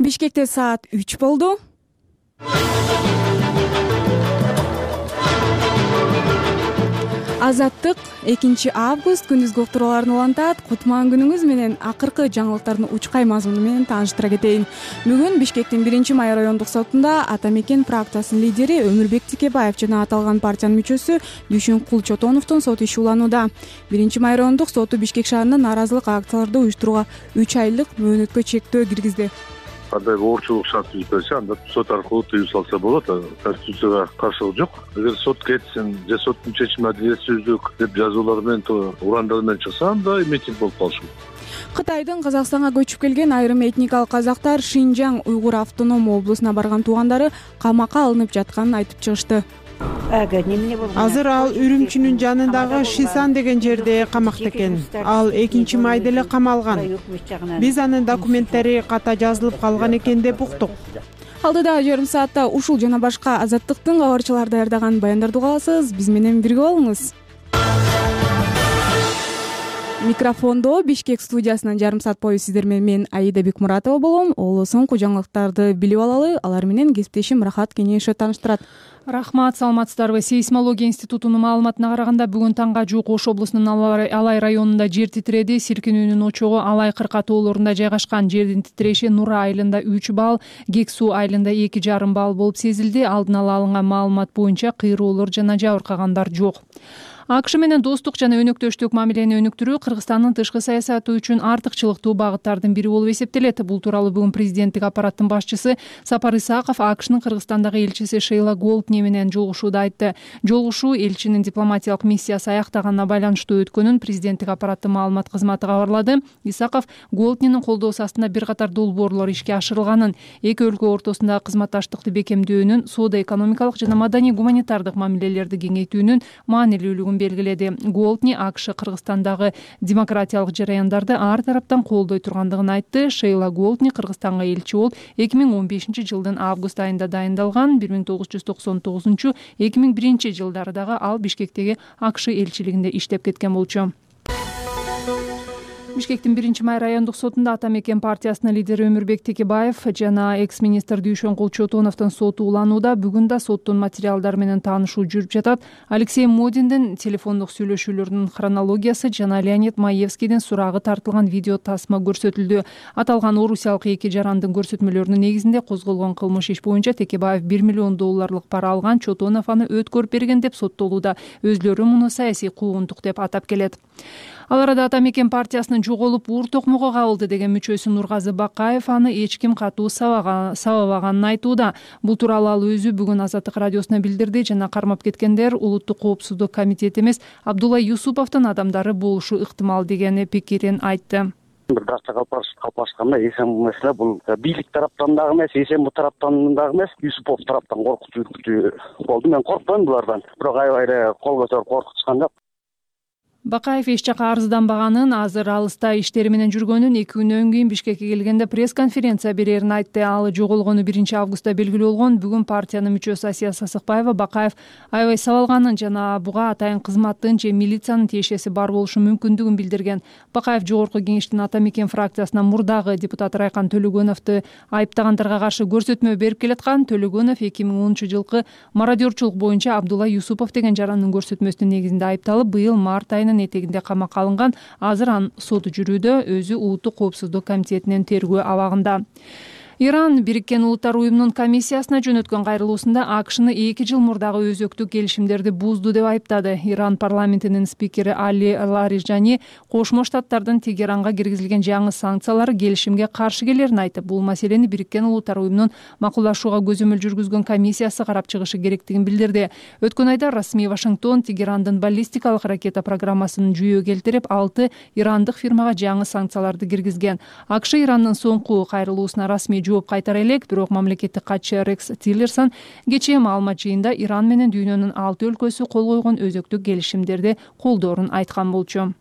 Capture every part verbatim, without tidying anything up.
Бишкекте саат үч болду. Азаттык экинчи август күндүзгү уктурууларын улантат. Кутман күнүңүз менен акыркы жаңылыктардын учкай мазмуну менен тааныштыра кетейин. Бүгүн Бишкектин биринчи май райондук сотунда Ата Мекен фракциясынын лидери Өмүрбек Текебаев жана аталган партиянын мүчөсү Дүйшүнкул Чотоновдун сот иши уланууда. биринчи май райондук соту Бишкек шаарында нааразылык акцияларды уюштурууга үч айлык мөөнөткө чектөө киргизди. Кандай оорчулук шарт түзүп берсе, анда сот аркылуу тыюу салса болот. Конституцияга каршылык жок. Эгер сот кетсин же соттун чечими адилетсиздик деп жазуулар менен урандар менен чыкса, анда митинг болуп калышы мүмкүн. Кытайдын Казакстанга көчүп келген айрым этникалык казактар Шинжаң уйгур автоном облусуна барган туугандары камакка алынып жатканын айтып чыгышты. Азыр ал Үрүмчүнүн жанындагы Шисан деген жерде камакта экен. Ал экинчи майда эле камалган. Биз анын документтери ката жазылып калган экен деп уктук. Алдыда жарым саатта ушул жана башка Азаттыктын кабарчылары даярдаган баяндарды уга аласыз. Биз менен бирге болуңуз. Микрофондо Бишкек студиясынан жарым саат бою сиздер менен мен Аида Бекмуратова болом. Оло соңку жаңылыктарды билип алалы. Алар менен кесиптешим Рахат Кенешев тааныштырат. Рахмат, саламатсыздарбы. Сейсмология институтунун маалыматына караганда бүгүн таңга жуук Ош облусунун Алай районунда жер титиреди. Силкинүүнүн очогу Алай кырка тоолорунда жайгашкан. Жердин титиреши Нура айылында үч балл, Гексу айылында эки жарым балл болуп сезилди. Алдын ала алынган маалымат боюнча кыйроолор жана жабыркагандар жок. АКШ менен достук жана өнөктөштүк мамилени өнүктүрүү Кыргызстандын тышкы саясаты үчүн артыкчылыктуу багыттардын бири болуп эсептелет. Бул тууралуу бүгүн президенттик аппараттын башчысы Сапар Исаков АКШнын Кыргызстандагы элчиси Шейла Голдни менен жолугушууда айтты. Жолугушуу элчинин дипломатиялык миссиясы аяктаганына байланыштуу өткөнүн президенттик аппараттын маалымат кызматы кабарлады. Исаков Голднинин колдоосу астында бир катар долбоорлор ишке ашырылганын, эки өлкө ортосундагы кызматташтыкты бекемдөөнүн, соода-экономикалык жана маданий гуманитардык мамилелерди кеңейтүүнүн маанилүүлүгүн белгиледи. Голдни АКШ Кыргызстандагы демократиялык жараяндарды ар тараптан колдой тургандыгын айтты. Шейла Голдни Кыргызстанга элчи болуп эки миң он бешинчи жылдын август айында дайындалган. бир миң тогуз жүз токсон тогузунчу эки миң биринчи жылдары дагы ал Бишкектеги АКШ элчилигинде иштеп кеткен болчу. Бишкектин биринчи май райондук сотунда Ата Мекен партиясынын лидери Өмүрбек Текебаев жана экс-министр Дүйшүнкул Чотоновдун соту уланууда. Бүгүн да соттун материалдары менен таанышуу жүрүп жатат. Алексей Модиндин телефондук сүйлөшүүлөрүнүн хронологиясы жана Леонид Маевскийдин сурагы тартылган видео тасма көрсөтүлдү. Аталган орусиялык эки жарандын көрсөтмөлөрүнүн негизинде козголгон кылмыш иш боюнча Текебаев бир миллион долларлык пара алган, Чотонов аны өткөрүп берген деп соттолууда. Өзлөрү муну саясий куугунтук деп атап келет. Ал арада Ата Мекен партиясынын жоголуп уур токмого кабылды деген мүчөсү Нургазы Бакаев аны эч ким катуу сабабаганын айтууда. Бул тууралуу ал өзү бүгүн Азаттык радиосуна билдирди жана кармап кеткендер улуттук коопсуздук комитети эмес, Абдулла Юсуповдун адамдары болушу ыктымал деген пикирин айтты. Бир дача калпашканда эсен маселе бул бийлик тараптан дагы эмес, эсен бу тараптан дагы эмес, Юсупов тараптан коркутуу болду. Мен коркпойм булардан, бирок аябай эле кол көтөрүп коркутушкан жок. Бакаев эч жака арызданбаганын, азыр алыста иштери менен жүргөнүн, эки күнөн кийин Бишкекке келгенде пресс-конференция берерин айтты. Ал жоголгону биринчи августта белгилүү болгон. Бүгүн партиянын мүчөсү Асия Сасыкбаева Бакаев аябай сабалганын жана буга атайын кызматтын же милициянын тиешеси бар болушу мүмкүндүгүн билдирген. Бакаев жогорку кеңештин Ата Мекен фракциясынан мурдагы депутат Райкан Төлөгөновду айыптагандарга каршы көрсөтмө берип келаткан. Төлөгөнов эки миң онунчу жылкы мародерчулук боюнча Абдулла Юсупов деген жарандын көрсөтмөсүнүн негизинде айыпталып, быйыл март айынын этегинде камакка алынган. Азыр анын соту жүрүүдө, өзү улуттук коопсуздук комитетинин тергөө абагында. Иран Бириккен Улуттар уюмунун комиссиясына жөнөткөн кайрылуусунда АКШны эки жыл мурдагы өзөктүк келишимдерди бузду деп айыптады. Иран парламентинин спикери Али Лаrijani Кошмо Штаттардын Тегеранга киргизилген жаңы санкциялар келишимге каршы келерин айтып, бул маселени Бириккен Улуттар уюмунун макулдашууга көзөмөл жүргүзгөн комиссиясы карап чыгышы керектигин билдирди. Өткөн айда расмий Вашингтон Тегерандын баллистикалык ракета программасын жүйө келтирип, алты ирандык фирмага жаңы санкцияларды киргизген. АКШ Ирандын соңку кайрылуусуна расмий жооп кайтара элек, бирок мамлекеттик катчы Рекс Тиллерсон кечээ маалымат жыйында Иран менен дүйнөнүн алты өлкөсү кол койгон өзөктүк келишимдерди колдоорун айткан болчу.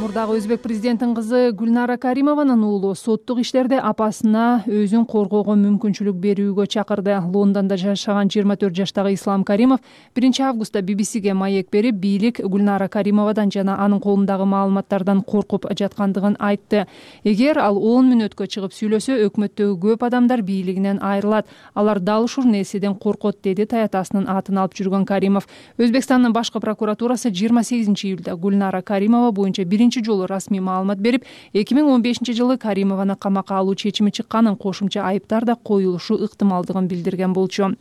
Мурдагы өзбек президентинин кызы Гүлнара Каримованын уулу соттук иштерде апасына өзүн коргоого мүмкүнчүлүк берүүгө чакырды. Лондондо жашаган жыйырма төрт жаштагы Ислам Каримов биринчи августта би би сиге маек берип, бийлик Гүлнара Каримовадан жана анын колундагы маалыматтардан коркуп жаткандыгын айтты. Эгер ал он мүнөткө чыгып сүйлөсө, өкмөттөгү көп адамдар бийлигинен айрылат. Алар дал ушул нерседен коркот, деди таятасынын атын алып жүргөн Каримов. Өзбекстандын башкы прокуратурасы жыйырма сегизинчи июлда Гүлнара Каримова боюнча биринчи жолу расмий маалымат берип, эки миң он бешинчи жылы Каримованы камакка алуу чечими чыкканын, кошумча айыптар да коюлушу ыктымалдыгын билдирген болчу.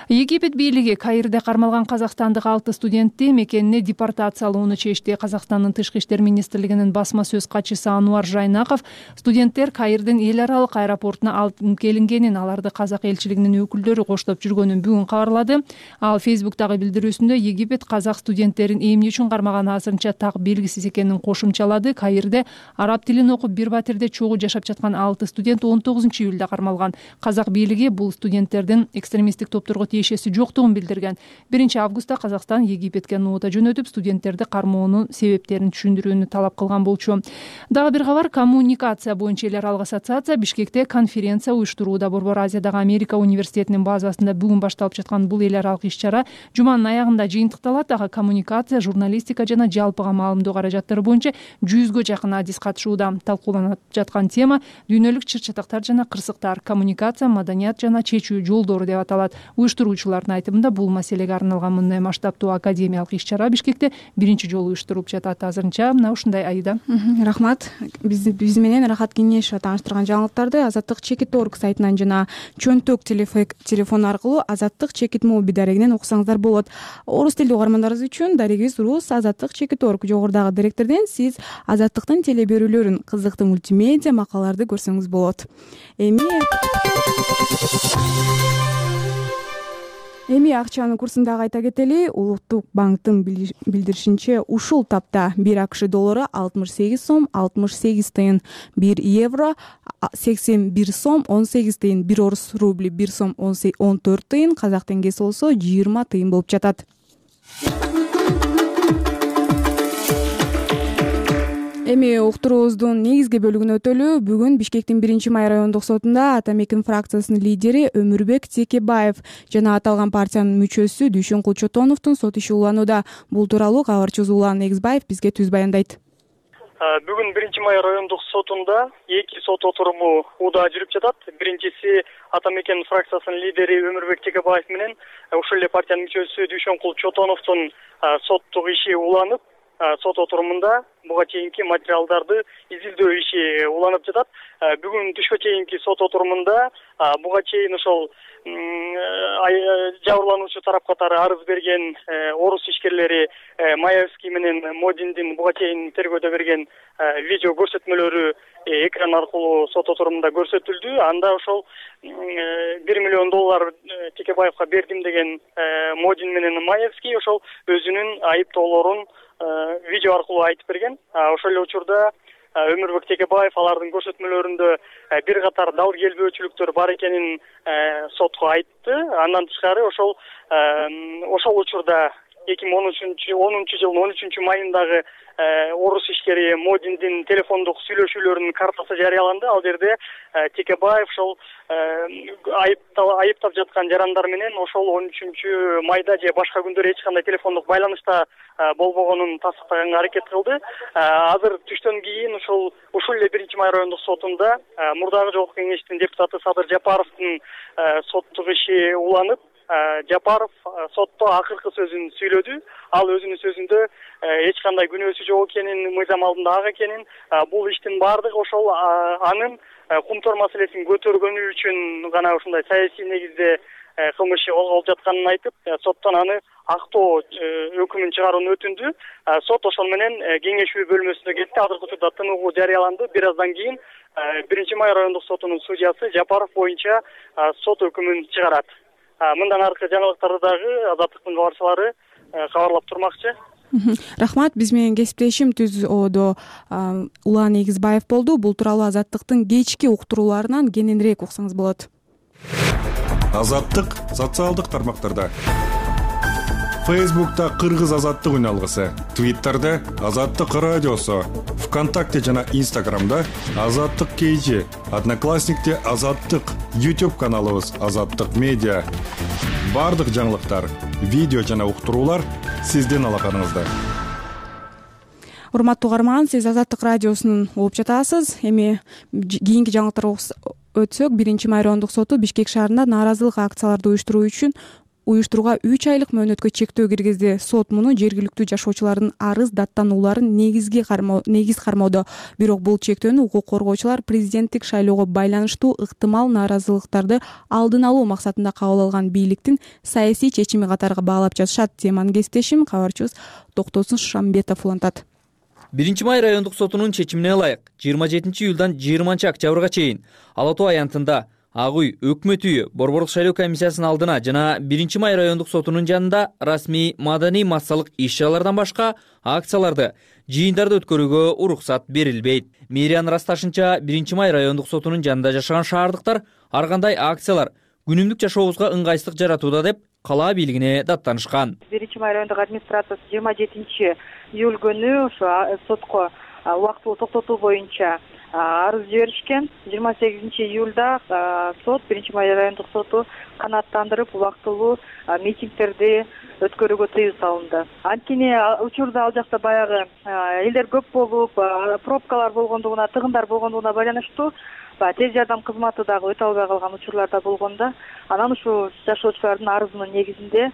Египет бийлиги Каирде кармалган казакстандык алты студентти мекенине депортациялоону чечти. Казакстандын тышкы иштер министрлигинин басма сөз катчысы Ануар Жайнаков студенттер Каирдин эл аралык аэропортуна алып келингенин, аларды казак элчилигинин өкүлдөрү коштоп жүргөнүн бүгүн кабарлады. Ал Фейсбуктагы билдирүүсүндө Египет казак студенттерин эмне үчүн кармаганы азырынча так белгисиз экенин кошумчалады. Каирде араб тилин окуп бир батирде чогуу жашап жаткан алты студент он тогузунчу июлда кармалган. Казак бийлиги бул студенттердин экстремисттик топторго тиешеси жоктугун билдирген. биринчи августта Казакстан Египетке нота жөнөтүп, студенттерди кармоонун себептерин түшүндүрүүнү талап кылган болчу. Дагы бир кабар, коммуникация боюнча эл аралык ассоциация Бишкекте конференция уюштурууда. Борбор Азиядагы Америка университетинин базасында бүгүн башталып жаткан бул эл аралык иш-чара жуманын аягында жыйынтыкталат. Ага коммуникация, журналистика жана жалпыга маалымдоо каражаттары боюнча жүзгө жакын адис катышууда. Талкууланып жаткан тема дүйнөлүк чыр-чатактар жана кырсыктар, коммуникация, маданият жана чечүү жолдору деп аталат. Уюштуруучулардын айтымында бул маселеге арналган мындай масштабтуу академиялык иш-чара Бишкекте биринчи жолу уюштурулуп жатат. Азырынча мына ушундай. Айда, рахмат. Биз биз менен Рахат Кеңешова тааныштырган жаңылыктарды Азаттык чекит орг сайтынан жана чөнтөк телефон аркылуу Азаттык чекит моби дарегинен окусаңыздар болот. Орус тилдүү угармандарыбыз үчүн дарегибиз рус Азаттык чекит орг. Жогорудагы директорден сиз Азаттыктын теле берүүлөрүн, кызыктуу мультимедиа макалаларды көрсөңүз болот. Эми Эми акчанын курсун дагы айта кетели. Улуттук банктын билдиришинче, ушул тапта бир АКШ доллары алтымыш сегиз сом алтымыш сегиз тыйын, бир евро сексен бир сом он сегиз тыйын, бир орус рубли бир сом он төрт тыйын, казак теңгеси болсо жыйырма тыйын болуп жатат. Эми уктуруубуздун негизги бөлүгүнө өтөлү. Бүгүн Бишкектин биринчи май райондук сотунда Атамекен фракциясынын лидери Өмүрбек Текебаев жана аталган партиянын мүчөсү Дүйшөнкул Чотоновдун сот иши уланууда. Бул тууралуу кабарчыбыз Улан Эгизбаев бизге түз баяндайт. Бүгүн биринчи май райондук сотунда эки сот отуруму ууда жүрүп жатат. Биринчиси Атамекен фракциясынын лидери Өмүрбек Текебаев менен ушул эле партиянын мүчөсү Дүйшөнкул Чотоновдун соттук иши уланып, сот отурумунда буга чейинки материалдарды изилдөө иши уланып жатат. Бүгүн түшкө чейинки сот отурумунда буга чейин ошол жабырлануучу тарап катары арыз берген орус ишкерлери Маевский менен Модиндин буга чейин тергөөдө берген видео көрсөтмөлөрү экран аркылуу сот отурумунда көрсөтүлдү. Анда ошол бир миллион доллар Текебаевка бердим деген Модин менен Маевский ошол өзүнүн айыптоолорун видео аркылуу айтып берген. Ошол эле учурда Өмүрбек Текебаев алардын көрсөтмөлөрүндө бир катар дал келбөөчүлүктөр бар экенин сотко айтты. Андан тышкары ошол ошол учурда эки миң онунчу жылдын он үчүнчү майындагы орус ишкери Модиндин телефондук сүйлөшүүлөрүнүн картасы жарыяланды. Ал жерде Текебаев ошол айыптап жаткан жарандар менен ошол он үчүнчү майда же башка күндөр эч кандай телефондук байланышта болбогонун тастыктаганга аракет кылды. Азыр түштөн кийин ушул ушул эле биринчи май райондук сотунда мурдагы жогорку кеңештин депутаты Садыр Жапаровдун соттук иши уланып, Жапаров сотто акыркы сөзүн сүйлөдү. Ал өзүнүн сөзүндө эч кандай күнөөсү жок экенин, мыйзам алдында ак экенин, бул иштин баардыгы ошол анын кумтор маселесин көтөргөнү үчүн гана ушундай саясий негизде кылмыш иши козголуп жатканын айтып, соттон аны актоо өкүмүн чыгарууну өтүндү. Сот ошол менен кеңешүү бөлмөсүнө кетти. Азыркы учурда тыныгуу жарыяланды. Бир аздан кийин биринчи май райондук сотунун судьясы Жапаров боюнча сот өкүмүн чыгарат. Мындан аркы жаңылыктарды дагы Азаттыктын кабарчылары кабарлап турмакчы. Рахмат. Биз менен кесиптешим түз ободо Улан Эгизбаев болду. Бул тууралуу Азаттыктын кечки уктурууларынан кененирээк уксаңыз болот. Азаттык социалдык тармактарда. Фейсбукта Кыргыз азаттык үналгысы, Твиттерде Азаттык радиосу, ВКонтакте жана Инстаграмда Азаттык кей жи, Одноклассникте Азаттык, YouTube каналыбыз Азаттык медиа. Бардык жаңылыктар, видео жана уктуруулар сиздин алаканыңызда. Урматтуу угарман, сиз Азаттык радиосунун угуп жатасыз. Эми кийинки жаңылыктарга өтсөк, биринчи май райондук соту Бишкек шаарында нааразылык акцияларды уюштуруу үчүн уюштурууга үч айлык мөөнөткө чектөө киргизди. Сот муну жергиликтүү жашоочулардын арыз даттанууларын негизги кармоо негиз кармоодо. Бирок бул чектөөнү укук коргоочулар президенттик шайлоого байланыштуу ыктымал нааразылыктарды алдын алуу максатында кабыл алган бийликтин саясий чечими катары баалап жатышат. Теманын кесиптешим кабарчыбыз Токтосун Шамбетов улантат. биринчи май райондук сотунун чечимине ылайык жыйырма жетинчи июлдан жыйырманчы октябрга чейин Ала Тоо аянтында Ак үй, Өкмөт үйү, Борбордук шайлоо комиссиясынын алдына жана биринчи май райондук сотунун жанында расмий маданий массалык иш-чаралардан башка акцияларды, жыйындарды өткөрүүгө уруксат берилбейт. Мэриянын ырасташынча биринчи май райондук сотунун жанында жашаган шаардыктар ар кандай акциялар күнүмдүк жашообузга ыңгайсыздык жаратууда деп кала бийлигине даттанышкан. биринчи май райондук администрациясы жыйырма жетинчи июль күнү ошо сотко убактылуу токтотуу боюнча арыз жиберишкен. жыйырма сегизинчи июлда сот биринчи май райондук соту канааттандырып убактылуу митингдерди өткөрүүгө тыюу салынды. Анткени учурда ал жакта баягы элдер көп болуп, пробкалар болгондугуна, тыгындар болгондугуна байланыштуу тез жардам кызматы дагы өтө албай калган учурларда болгондо, анан ушул жашоочулардын арызынын негизинде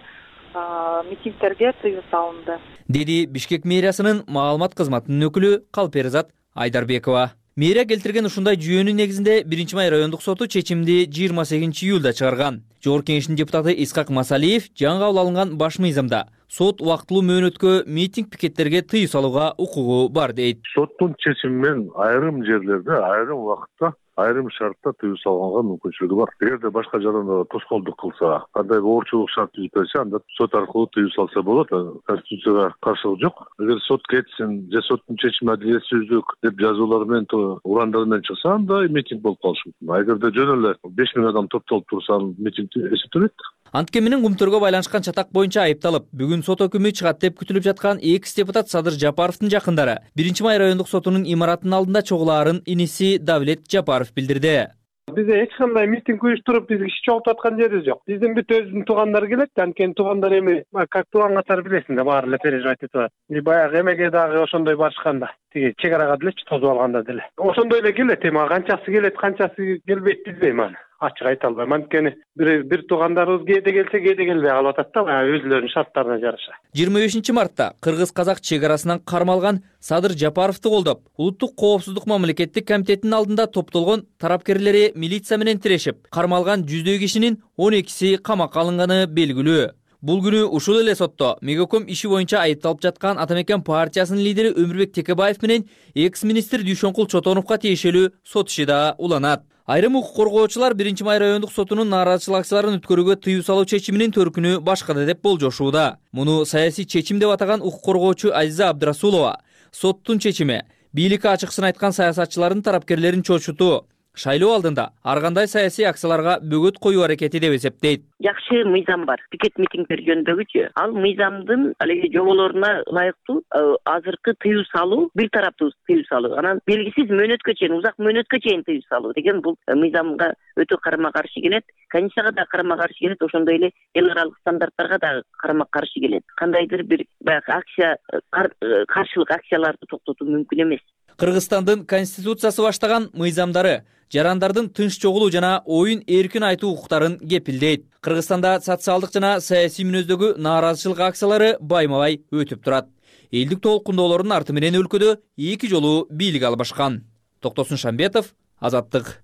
митингдерге тыюу салынды, деди Бишкек мэриясынын маалымат кызматынын өкүлү Калперизат Айдарбекова. Мэрия келтирген ушундай жүйөнүн негизинде биринчи май райондук соту чечимди жыйырма сегизинчи июлда чыгарган. Жогорку кеңештин депутаты Исхак Масалиев жаңы кабыл алынган баш мыйзамда сот убактылуу мөөнөткө митинг пикеттерге тыюу салууга укугу бар дейт. Соттун чечими менен айрым жерлерде, айрым убакытта, айрым шартта тыюу салганга мүмкүнчүлүгү бар. Эгерде башка жаданда тоскоолдук кылса, кандай оорчулук шарт түзүп берсе, анда сот аркылуу тыюу салса болот. Конституцияга каршылык жок. Эгер сот кетсин же соттун чечими адилетсиздик деп жазуулар менен, урандар менен чыкса, анда митинг болуп калышы мүмкүн. Эгерде жөн эле беш миң адам топтолуп турса, митинг эсептелет. Антке менен кумтөргө байланышкан чатак боюнча айыпталып, бүгүн сот өкүмү чыгат деп күтүлүп жаткан экс депутат Садыр Жапаровдун жакындары биринчи май райондук сотунун имаратынын алдында чогулаарын иниси Давлет Жапаров билдирди. Бизде эч кандай митинг уюштуруп, биз киши чогултуп аткан жерибиз жок. Биздин бүт өзүбүздүн туугандар келет, анткени туугандар эми как тууган катары билесиң да, баары эле переживать этип атат. И баягы эмеге дагы ошондой барышканда, тиги чек арага делечи тосуп алганда деле. Ошондой эле келет, эми канчасы келет, канчасы келбейт билбейм аны. Ачык айта албайм. Анткени бир бир туугандарыбыз кээде келсе, кээде келбей калып атат да, баягы өзүлөрүнүн шарттарына жараша. жыйырма бешинчи мартта кыргыз-казак чек арасынан кармалган Садыр Жапаровду колдоп, Улуттук коопсуздук мамлекеттик комитетинин алдында топтолгон тарапкерлери милиция менен тирешип, кармалган жүздөй кишинин он экиси камакка алынганы белгилүү. Бул күнү ушул эле сотто Мегаком иши боюнча айыпталып жаткан Ата мекен партиясынын лидери Өмүрбек Текебаев менен экс-министр Дүйшөнкул Чотоновго тиешелүү сот иши да уланат. Айрым укук коргоочулар биринчи май райондук сотунун нааразычылык акцияларын өткөрүүгө тыюу салуу чечиминин төркүнү башкада деп болжошууда. Муну саясий чечим деп атаган укук коргоочу Азиза Абдрасулова соттун чечими бийликке ачыкчын айткан саясатчылардын тарапкерлерин чочутуу, шайлоо алдында ар кандай саясий акцияларга бөгөт коюу аракети деп эсептейт. Жакшы мыйзам бар. Пикет митингдер жөнүндөгүчү. Ал мыйзамдын алеги жоболоруна ылайыктуу азыркы тыюу салуу, бир тараптуу тыюу салуу, анан белгисиз мөөнөткө чейин, узак мөөнөткө чейин тыюу салуу деген бул мыйзамга өтө карама каршы келет. Конституцияга да карама каршы келет, ошондой эле эл аралык стандарттарга да карама каршы келет. Кандайдыр бир баягы акция, каршылык акцияларды токтотуу мүмкүн эмес. Кыргызстандын конституциясы баштаган мыйзамдары жарандардын тынч чогулуу жана оюн эркин айтуу укуктарын кепилдейт. Кыргызстанда социалдык жана саясий мүнөздөгү нааразычылык акциялары байма-бай өтүп турат. Элдик толкундоолордун арты менен өлкөдө эки жолу бийлик албашкан. Токтосун Шамбетов, Азаттык.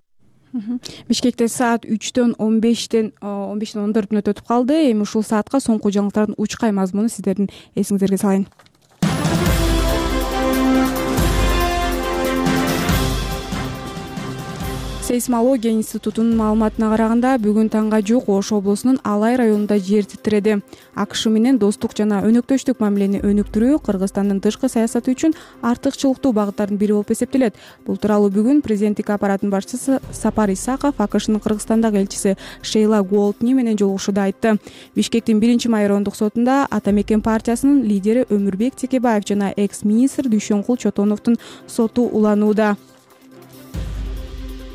Бишкекте саат үчтөн он бештен он бештен он төрт мүнөт өтүп калды. Эми ушул саатка соңку жаңылыктардын учкай мазмуну сиздердин эсиңиздерге салайын. Сейсмология институтунун маалыматына караганда бүгүн таңга жук Ош облусунун Алай районунда жер титиреди. АКШ менен достук жана өнөктөштүк мамилени өнүктүрүү Кыргызстандын тышкы саясаты үчүн артыкчылыктуу багыттардын бири болуп эсептелет. Бул тууралуу бүгүн президенттик аппараттын башчысы Сапар Исаков АКШнын Кыргызстандагы элчиси Шейла Голдни менен жолугушууда айтты. Бишкектин биринчи май райондук сотунда Ата Мекен партиясынын лидери Өмүрбек Текебаев жана экс-министр Дүйшөнкул Чотоновдун соту уланууда.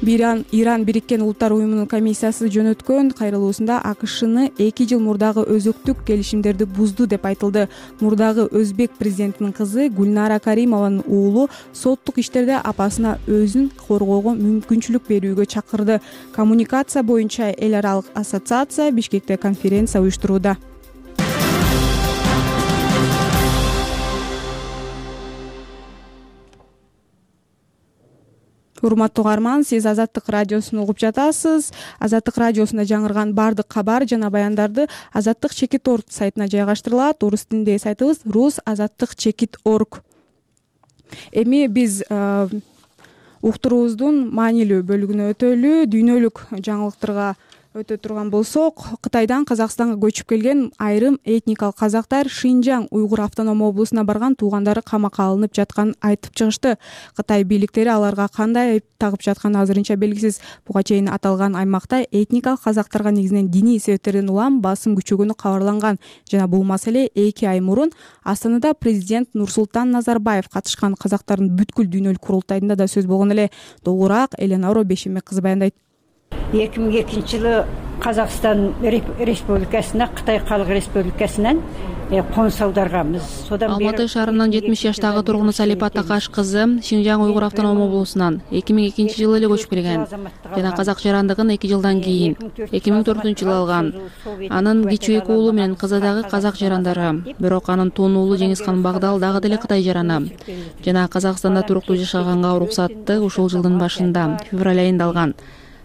Иран Иран Бириккен Улуттар уюмунун комиссиясы жөнөткөн кайрылуусунда АКШны эки жыл мурдагы өзөктүк келишимдерди бузду деп айтылды. Мурдагы Өзбек президентинин кызы Гүлнара Каримованын уулу соттук иштерде апасына өзүн коргоого мүмкүнчүлүк берүүгө чакырды. Коммуникация боюнча эл аралык ассоциация Бишкекте конференция уюштурууда. Урматтуу угарман, сиз Азаттык радиосун угуп жатасыз. Азаттык радиосунда жаңырган бардык кабар жана баяндарды Азаттык чекит орг сайтына жайгаштырылат. Орус тилиндеги сайтыбыз рус азаттык чекит орг. Эми биз уктуруубуздун маанилүү бөлүгүнө өтөлү. Дүйнөлүк жаңылыктарга өтө турган болсок, Кытайдан Казакстанга көчүп келген айрым этникалык казактар Шинжаң уйгур автоном облусуна барган туугандары камакка алынып жатканын айтып чыгышты. Кытай бийликтери аларга кандай айып тагып жатканы азырынча белгисиз. Буга чейин аталган аймакта этникалык казактарга негизинен диний себептерден улам басым күчөгөнү кабарланган жана бул маселе эки ай мурун Астанада президент Нурсултан Назарбаев катышкан казактардын бүткүл дүйнөлүк курултайында да сөз болгон эле. Толугураак Эленора Бешембек кызы баяндайт. эки миң экинчи жылы Казакстан Республикасына Кытай Калык Республикасынан конус аударганбыз. Содан бери Алматы шаарынын жетимиш жаштагы тургуну Салипа Такаш кызы Шинжаң уйгур автоном облусунан эки миң экинчи жылы эле көчүп келген жана казак жарандыгын эки жылдан кийин эки миң төртүнчү жылы алган. Анын кичүү эки уулу менен кызы дагы казак жарандары. Бирок анын тун уулу Жеңискан Багдал дагы деле Кытай жараны. Жана Казакстанда туруктуу жашаганга уруксатты ушул жылдын башында февраль айында алган.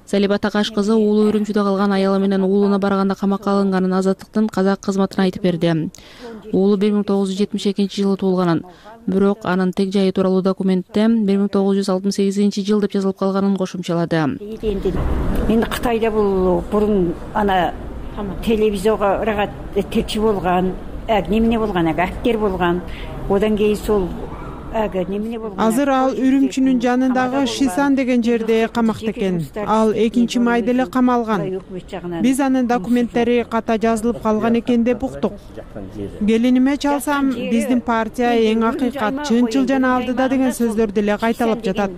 Салипа Такаш кызы уулу Үрүмчүдө калган аялы менен уулуна барганда камакка алынганын Азаттыктын казак кызматына айтып берди. Уулу бир миң тогуз жүз жетимиш экинчи жылы туулганын, бирок анын тег жайы тууралуу документте бир миң тогуз жүз алтымыш сегизинчи жыл деп жазылып калганын кошумчалады. Эми Кытайда бул бурун ана телевизорго телчи болгон, эмне болгон, актер болгон. Одан кийин сол Азыр ал Үрүмчүнүн жанындагы Шисан деген жерде камакта экен. Ал экинчи майда эле камалган. Биз анын документтери ката жазылып калган экен деп уктук. Келиниме чалсам, биздин партия эң акыйкат, чынчыл жана алдыда деген сөздөрдү эле кайталап жатат.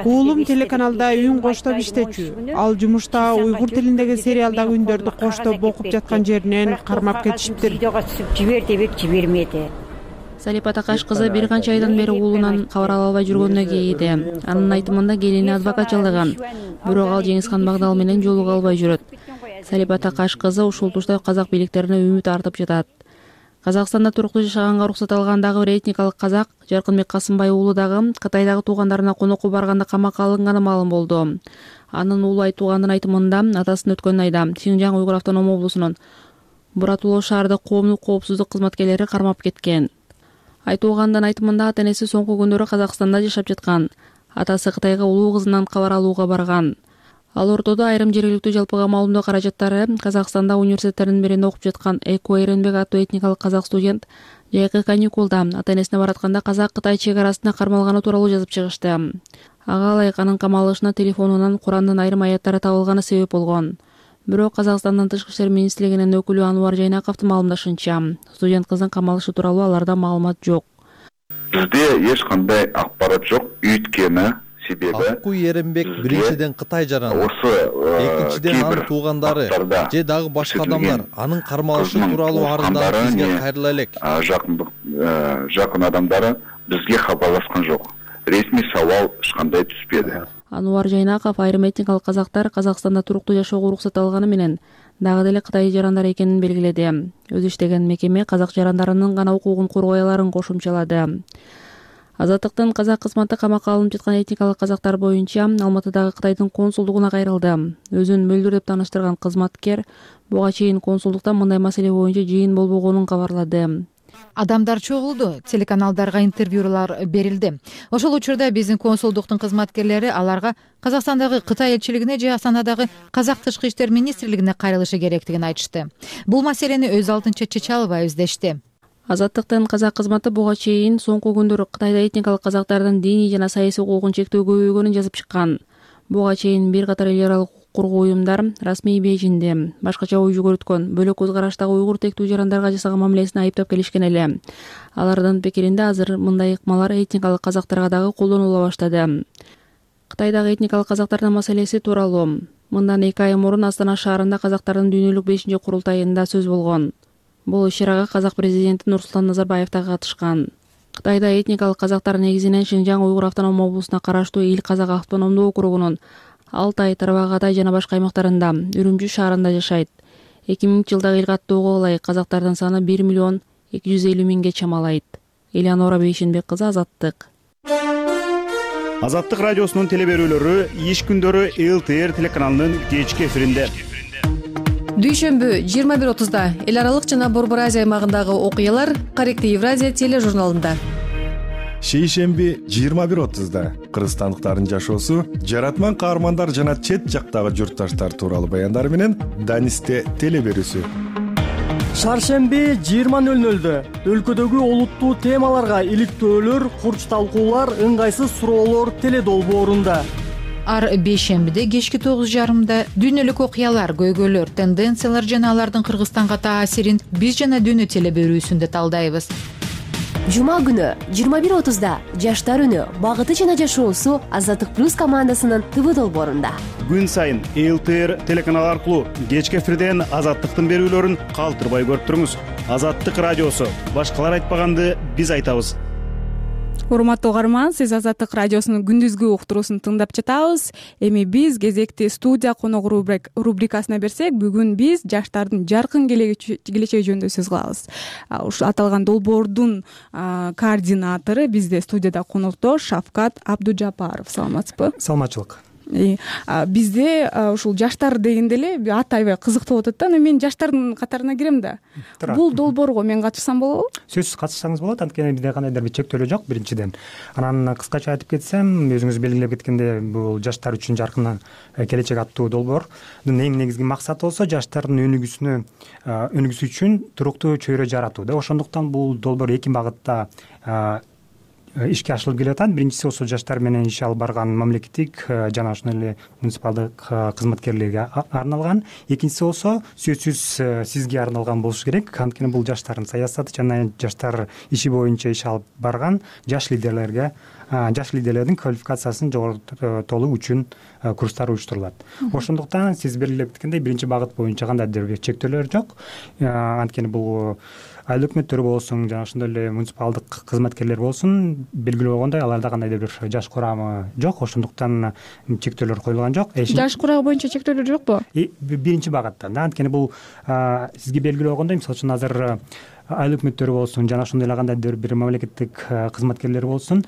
Уулум телеканалда үн коштоп иштечү. Ал жумушта уйгур тилиндеги сериалдагы үндөрдү коштоп окуп жаткан жеринен кармап кетишиптир. Жибер дебек жибермеди. Салипа Такаш кызы бир канча айдан бери уулунан кабар ала албай жүргөнүнө кейиди. Анын айтымында келини адвокат жалдаган, бирок ал Жеңискан Багдал менен жолуга албай жүрөт. Салипа Такаш кызы ушул тушта казак бийликтерине үмүт артып жатат. Казакстанда туруктуу жашаганга уруксат алган дагы бир этникалык казак Жаркынбек Касымбай уулу дагы Кытайдагы туугандарына конокко барганда камакка алынганы маалым болду. Анын уулу айтуугандын айтымында атасын өткөн айда Шинжаң уйгур автоном облусунун Буратулоо шаардык коомдук коопсуздук кызматкерлери кармап кеткен. Айтуугандын айтымында ата энеси соңку күндөрү Казакстанда жашап жаткан. Атасы Кытайга улуу кызынан кабар алууга барган. Ал ортодо айрым жергиликтүү жалпыга маалымдоо каражаттары Казакстанда университеттердин биринде окуп жаткан Эко Эренбек аттуу этникалык казак студент жайкы каникулда ата энесине баратканда Казак-Кытай чек арасына кармалганы тууралуу жазып чыгышты. Ага ылайык анын камалышына телефонунан Курандын айрым аяттары табылганы себеп болгон. Бирок Казакстандын тышкы иштер министрлигинин өкүлү Ануар Жайнаковдун маалымдашынча, студент кыздын камалышы тууралуу аларда маалымат жок. Бизде эч кандай акпарат жок, үйткөнү себеби Акку Эренбек биринчиден Кытай жараны, экинчиден анын туугандары же дагы башка адамдар анын кармалышы тууралуу арыздар бизге кайрыла элек. Жакындык жакын адамдары бизге кабарлашкан жок. Ресми сабал эч кандай түспөдү. Ануар Жайнаков айрым этникалык казактар Казакстанда туруктуу жашоого уруксат алганы менен дагы деле Кытай жарандары экенин белгиледи. Өзү иштеген мекеме казак жарандарынын гана укугун коргой аларын кошумчалады. Азаттыктын казак кызматы камакка алынып жаткан этникалык казактар боюнча Алматыдагы Кытайдын консулдугуна кайрылды. Өзүн мөлдүр деп тааныштырган кызматкер буга чейин консулдукта мындай маселе боюнча жыйын болбогонун кабарлады. Адамдар чогулду, телеканалдарга интервьюлар берилди. Ошол учурда биздин консулдуктун кызматкерлери аларга Казакстандагы Кытай элчилигине же Астанадагы Казак тышкы иштер министрлигине кайрылышы керектигин айтышты. Бул маселени өз алдынча чече албай издешти. Азаттыктын казак кызматы буга чейин соңку күндөрү Кытайда этникалык казактардын диний жана саясий укугун чектөө көбөйгөнүн жазып чыккан. Буга чейин бир катар эл аралык коргоо уюмдар расмий Бейжиңде башкача ой жүгүрткөн бөлөк көз караштагы уйгур тектүү жарандарга жасаган мамилесин айыптап келишкен эле. Алардын пикиринде азыр мындай ыкмалар этникалык казактарга дагы колдонула баштады. Кытайдагы этникалык казактардын маселеси тууралуу мындан эки ай мурун Астана шаарында казактардын дүйнөлүк бешинчи курултайында сөз болгон. Бул иш-чарага казак президенти Нурсултан Назарбаев да катышкан. Кытайда этникалык казактар негизинен Шинжаң уйгур автоном облусуна караштуу Ил Казак автономдуу округунун Алтай, Тарбагатай жана башка аймактарында, Үрүмчү шаарында жашайт. эки миңинчи жылдагы эл каттоого ылайык казактардын саны бир миллион эки жүз элүү миңге чамалайт. Элеонора Бейшенбек кызы, Азаттык. Азаттык радиосунун теле берүүлөрү иш күндөрү Эл Т Р телеканалынын кечки эфиринде. Дүйшөмбү жыйырма бир отузда эл аралык жана Борбор Азия аймагындагы окуялар Каректи Евразия тележурналында. Шейшемби жыйырма бир отузда кыргызстандыктардын жашоосу, жаратман каармандар жана чет жактагы журтташтар тууралуу баяндар менен Данисте теле берүүсү. Шаршемби жыйырма нөл нөлдө өлкөдөгү олуттуу темаларга иликтөөлөр, курч талкуулар, ыңгайсыз суроолор теле долбоорунда. Ар бейшембиде кечки тогуз жарымда дүйнөлүк окуялар, көйгөйлөр, тенденциялар жана алардын Кыргызстанга таасирин биз жана дүйнө теле берүүсүндө талдайбыз. Жума күнү жыйырма бир отузда жаштар үнү, багыты жана жашоосу Азаттык плюс командасынын ТВ долбоорунда. Күн сайын Эл Т Р телеканал аркылуу кечки эфирден Азаттыктын берүүлөрүн калтырбай көрүп туруңуз. Азаттык радиосу, башкалар айтпаганды биз айтабыз. Урматтуу угарман, сиз Азаттык радиосунун күндүзгү уктуруусун тыңдап жатабыз. Эми биз кезекти студия коногу рубрикасына берсек, бүгүн биз жаштардын жаркын келечеги жөнүндө сөз кылабыз. Ушу аталган долбоордун координатору бизде студияда конокто Шавкат Абдужапаров. Саламатсызбы? Саламатчылык. Бизде ушул жаштар дегенде эле ат аябай кызыктуу болуп атат да. Мен жаштардын катарына кирем да. Бул долбоорго мен катышсам болобу? Сөзсүз катышсаңыз болот, анткени бизде кандайдыр бир чектөөлөр жок биринчиден. Анан кыскача айтып кетсем, өзүңүз белгилеп кеткендей, бул жаштар үчүн жаркын келечек аттуу долбоордун эң негизги максаты болсо жаштардын өнүгүүсүнө өнүгүүсү үчүн туруктуу чөйрө жаратуу да. Ошондуктан бул долбоор эки багытта ишке ашырылып келатат. Биринчиси болсо жаштар менен иш алып барган мамлекеттик жана ошондой эле муниципалдык кызматкерлерге арналган. Экинчиси болсо сөзсүз сизге арналган болуш керек. Анткени бул жаштардын саясаты жана жаштар иши боюнча иш алып барган жаш лидерлерге, жаш лидерлердин квалификациясын жоготуу үчүн курстар уюштурулат. Ошондуктан сиз белгилеп кеткендей биринчи багыт боюнча кандайдыр бир чектөөлөр жок. Анткени бул айыл өкмөттөр болсун жана ошондой эле муниципалдык кызматкерлер болсун, белгилүү болгондой аларда кандайдыр бир жаш курамы жок. Ошондуктан чектөөлөр коюлган жок. Жаш курамы боюнча чектөөлөр жокпу? Биринчи багытта. Анткени бул сизге белгилүү болгондой, мисалы үчүн азыр айыл өкмөттөр болсун жана ошондой эле кандайдыр бир мамлекеттик кызматкерлер болсун,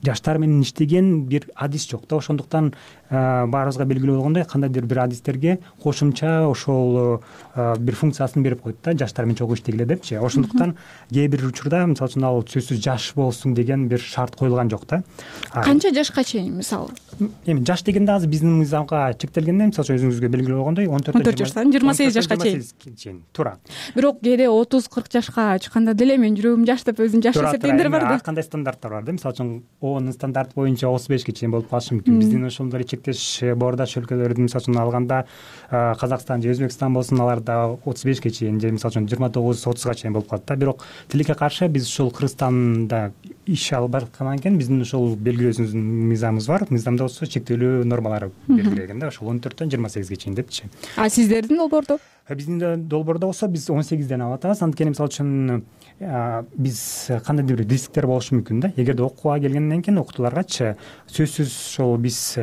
жаштар менен иштеген бир адис жок да. Ошондуктан баарыбызга белгилүү болгондой кандайдыр бир адистерге кошумча ошол бир функциясын берип койт да, жаштар менен чогуу иштегиле депчи. Ошондуктан кээ бир учурда мисалы үчүн ал сөзсүз жаш болсун деген бир шарт коюлган жок да. Канча жашка чейин мисалы? Эми жаш дегенде азыр биздин мыйзамга чектелгенде, мисалы үчүн өзүңүзгө белгилүү болгондой он төрт жаштан жыйырма сегиз жашка чейин туура. Бирок кээде отуз кырк жашка чыкканда деле мен жүрөгүм жаш деп өзүм жаш эсептегендер бар да. Ар кандай стандарттар бар да. Мисалы үчүн ООНдун стандарты боюнча отуз бешке чейин болуп калышы мүмкүн. Биздин ошондой чектеш боордаш өлкөлөрдүн мисалы үчүн алганда Казакстан же Өзбекстан болсун, аларда отуз бешке чейин же мисалы үчүн жыйырма тогуз отузга чейин болуп калат да. Бирок тилекке каршы биз ушул Кыргызстанда иш алып баргандан кийин биздин ошол белгилөөбүздүн мыйзамыбыз бар. Мыйзамда болсо чектелүү нормалары белгиленген да. Ошол он төрттөн жыйырма сегизге чейин депчи. А сиздердин долбоордо? Биздин долбоордо болсо биз он сегизден алып атабыз. Анткени мисалы үчүн биз кандайдыр бир рисктер болушу мүмкүн да. Эгерде окууга келгенден кийин окутууларгачы сөзсүз ошол биз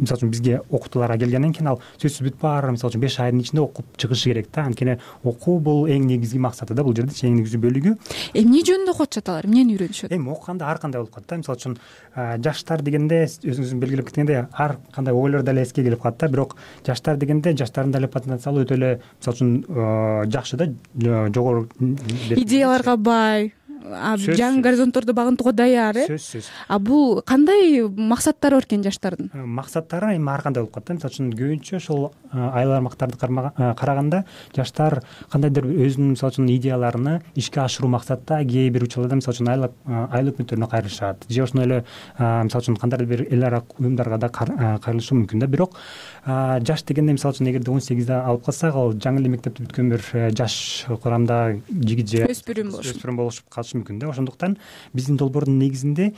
мисалы үчүн бизге окутууларга келгенден кийин ал сөзсүз бүт баары мисалы үчүн беш айдын ичинде окуп чыгышы керек да. Анткени окуу бул эң негизги максаты да бул жердечи, эң негизги бөлүгү. Эмне жөнүндө окуп атышат алар? Эмнени үйрөнүшөт? Эми окуганда ар кандай болуп калат да. Мисалы үчүн жаштар дегенде өзүңүз белгилеп кеткендей ар кандай ойлор деле эске келип калат да. Бирок жаштар дегенде жаштардын деле потенциалы өтө эле мисалы үчүн жакшы да, жогору идеяларга бай, жаңы горизонтторду багынтууга даяр э. Сөзсүз. А бул кандай максаттары бар экен жаштардын? Максаттары эми ар кандай болуп калат да. Мисалы үчүн көбүнчө ошол айыл аймактарды караганда жаштар кандайдыр өзүнүн мисалы үчүн идеяларын ишке ашыруу максатта кээ бир учурларда мисалы үчүн айыл айыл өкмөттөрүнө кайрылышат же ошондой эле мисалы үчүн кандайдыр бир эл ара уюмдарга да кайрылышы мүмкүн да. Бирок жаш дегенде мисалы үчүн эгерде он сегизде алып калсак, ал жаңы эле мектепти бүткөн бир жаш курамда жигит же өспүрүм болушуп калышы мүмкүн да. Ошондуктан биздин долбоордун негизинде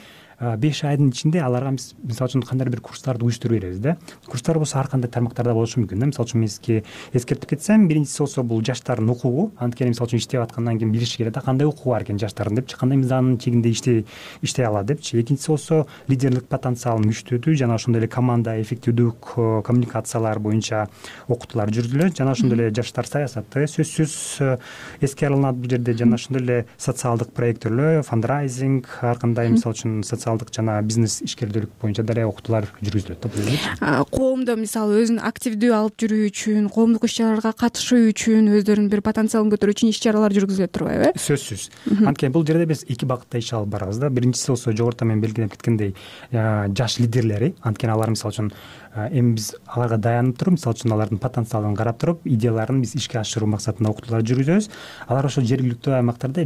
беш айдын ичинде аларга мисалы үчүн кандайдыр бир курстарды уюштуруп беребиз да. Курстар болсо ар кандай тармактарда болушу мүмкүн да. Мисалы үчүн мен сизге эскертип кетсем, биринчиси болсо бул жаштардын укугу. Анткени мисалы үчүн иштеп аткандан кийин билиши керек да, кандай укугу бар экен жаштардын депчи, кандай мыйзамдын чегинде иштей иштей алат депчи. Экинчиси болсо лидерлик потенциалын күчтөтүү жана ошондой эле команда эффективдүү коммуникациялар боюнча окутуулар жүргүзүлөт. Жана ошондой эле жаштар саясаты сөзсүз эске алынат бул жерде. Жана ошондой эле социалдык проекттер, фандрайзинг, ар кандай мисалы үчүн социалдык жана бизнес ишкердүүлүк боюнча деле окутуулар жүргүзүлөт да. Коомдо мисалы өзүн активдүү алып жүрүү үчүн, коомдук иш чараларга катышуу үчүн, өздөрүнүн бир потенциалын көтөрүү үчүн иш чаралар жүргүзүлөт турбайбы э? Сөзсүз. Анткени бул жерде биз эки багытта иш алып барабыз да. Биринчиси болсо жогоруда мен белгилеп кеткендей жаш лидерлери. Анткени алар мисалы үчүн эми биз аларга таянып туруп, мисалы үчүн алардын потенциалын карап туруп, идеяларын биз ишке ашыруу максатында окутуулар жүргүзөбүз. Алар ошол жергиликтүү аймактарда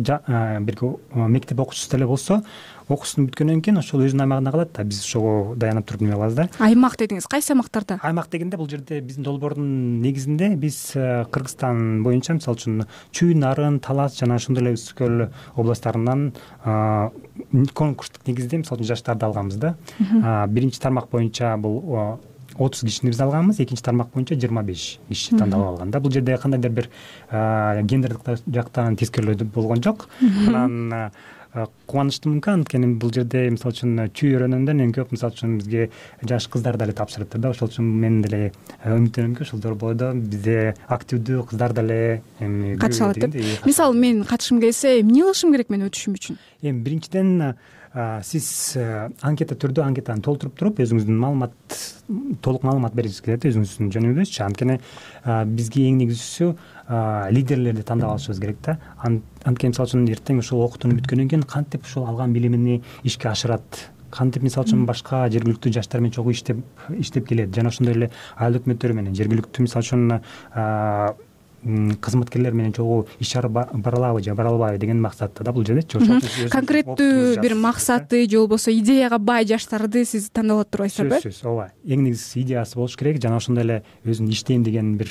бир мектеп окуучусу деле болсо, окуусун бүткөндөн кийин ошол өзүнүн аймагында калат да. Биз ошого таянып туруп неме кылабыз да. Аймак дедиңиз, кайсы аймактарда? Аймак дегенде бул жерде биздин долбоордун негизинде биз Кыргызстан боюнча мисалы үчүн Чүй, Нарын, Талас жана ошондой эле Үч көл областтарынан конкурстук негизде мисалы үчүн жаштарды алганбыз да. Биринчи тармак боюнча бул отуз кишини биз алганбыз, экинчи тармак боюнча жыйырма беш киши тандалып алган да. Бул жерде кандайдыр бир гендердик жактан тескерелөө болгон жок. Анан кубанычтуумун, анткени бул жерде мисалы үчүн чүй өрөөнүндөн эң көп мисалы үчүн бизге жаш кыздар деле тапшырыптыр да. Ошол үчүн мен деле үмүттөнөмүнки ошол долбоордо бизде активдүү кыздар деле эми катыша алат деп. Мисалы мен катышкым келсе, эмне кылышым керек мен өтүшүм үчүн? Эми биринчиден сиз анкета түрдө анкетаны толтуруп туруп, өзүңүздүн маалымат толук маалымат бергиңиз келет өзүңүздүн жөнүңүздүчү. Анткени бизге эң негизгиси лидерлерди тандап алышыбыз керек да. Анткени мисалы үчүн эртең ушул окутууну бүткөндөн кийин кантип ушул алган билимини ишке ашырат, кантип мисалы үчүн башка жергиликтүү жаштар менен чогуу иштеп иштеп келет жана ошондой эле айыл өкмөттөрү менен жергиликтүү мисалы үчүн кызматкерлер менен чогуу иш чара бара алабы же бара албайбы деген максатта да бул жердечи. Конкреттүү бир максаты же болбосо идеяга бай жаштарды сиз тандап алып турбайсыздарбы? Сөзсүз, ооба. Эң негизгиси идеясы болуш керек жана ошондой эле өзүн иштейм деген бир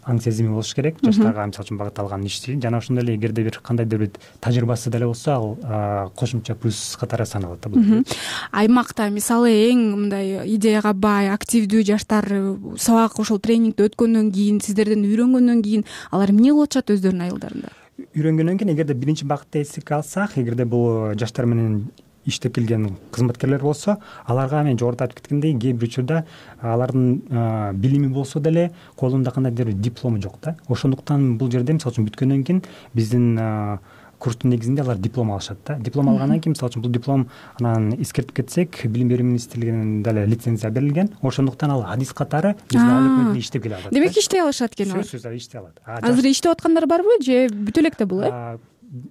аң сезими болуш керек жаштарга мисалы үчүн багытталган ишти. Жана ошондой эле эгерде бир кандайдыр бир тажрыйбасы деле болсо, ал кошумча плюс катары саналат да бул. Аймакта мисалы эң мындай идеяга бай, активдүү жаштар сабак ошол тренингди өткөндөн кийин, сиздерден үйрөнгөндөн кийин алар эмне кылып атышат өздөрүнүн айылдарында? Үйрөнгөндөн кийин эгерде биринчи багытты эске алсак, эгерде бул жаштар менен иштеп келген кызматкерлер болсо, аларга мен жогоруда айтып кеткендей, кээ бир учурда алардын билими болсо деле колунда кандайдыр бир диплому жок да. Ошондуктан бул жерде мисалы үчүн бүткөндөн кийин биздин курстун негизинде алар диплом алышат да. Диплом алгандан кийин мисалы үчүн бул диплом анан эскертип кетсек, Билим берүү министрлигинин деле лицензия берилген. Ошондуктан ал адис катары биздин айыл өкмөтүндө иштеп келе алат. Демек иштей алышат экен алар. Сөзсүз иштей алат. Азыр иштеп аткандар барбы же бүтө электе бул э?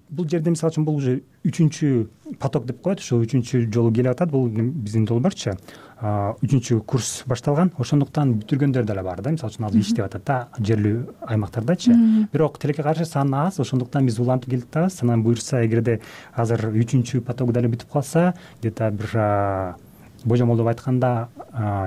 Бул жерде мисалы үчүн бул уже үчүнчү поток деп коет, ошо үчүнчү жолу келип атат. Бул биздин долбоорчу үчүнчү курс башталган. Ошондуктан бүтүргөндөр деле бар да. Мисалы үчүн азыр иштеп атат да жерлүү аймактардачы. Бирок тилекке каршы саны аз, ошондуктан биз улантып келип атабыз. Анан буюрса, эгерде азыр үчүнчү поток деле бүтүп калса, где-то бир божомолдоп айтканда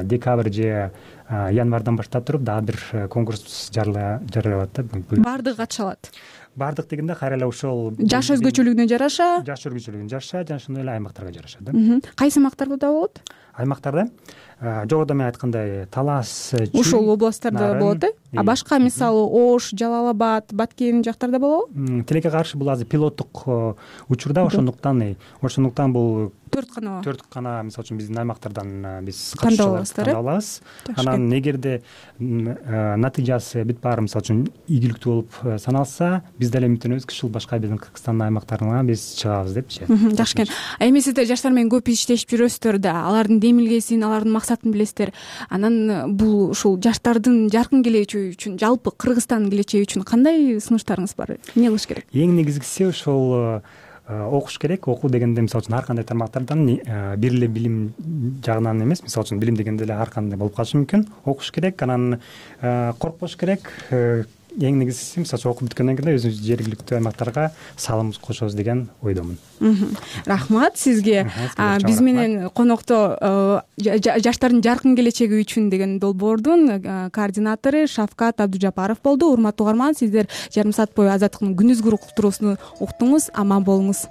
декабрь же январдан баштап туруп дагы бир конкурс жарыялат да. Баардыгы катыша алат. Баардык дегенде кайра эле ошол жаш өзгөчөлүгүнө жараша, жаш өзгөчөлүгүнө жараша жана ошондой эле аймактарга жараша да. Кайсы аймактарда болот? аймактарда жогоруда мен айткандай талас ушул областтарда болот э а башка мисалы Ош, Жалал Абад, Баткен жактарда болобу? Тилекке каршы бул азыр пилоттук учурда, ошондуктан ошондуктан бул төрт канаа төрт кана мисалы үчүн биздин аймактардан биз тандап алабыз. Анан эгерде натыйжасы бүт баары мисалы үчүн ийгиликтүү болуп саналса, биз деле үмүттөнөбүз ушул башка биздин Кыргызстандын аймактарына биз чыгабыз депчи. Жакшы экен. А эми сиздер жаштар менен көп иштешип жүрөсүздөр да, алардын демилгесин, алардын максатын билесиздер. Анан бул ушул жаштардын жаркын келечеги үчүн, жалпы Кыргызстандын келечеги үчүн кандай сунуштарыңыз бар? Эмне кылыш керек? Эң негизгиси ошол окуш керек. Окуу дегенде мисалы үчүн ар кандай тармактардан бир эле билим жагынан эмес, мисалы үчүн билим дегенде эле ар кандай болуп калышы мүмкүн. Окуш керек, анан коркпош керек. Эң негизгиси мисалы үчүн окуп бүткөндөн кийин өзүбүз жергиликтүү аймактарга салымыбызды кошобуз деген ойдомун. Рахмат сизге. Биз менен конокто жаштардын жаркын келечеги үчүн деген долбоордун координатору Шавкат Абдужапаров болду. Урматтуу угарман, сиздер жарым саат бою Азаттыктын күнүзгү уктуруусун уктуңуз. Аман болуңуз.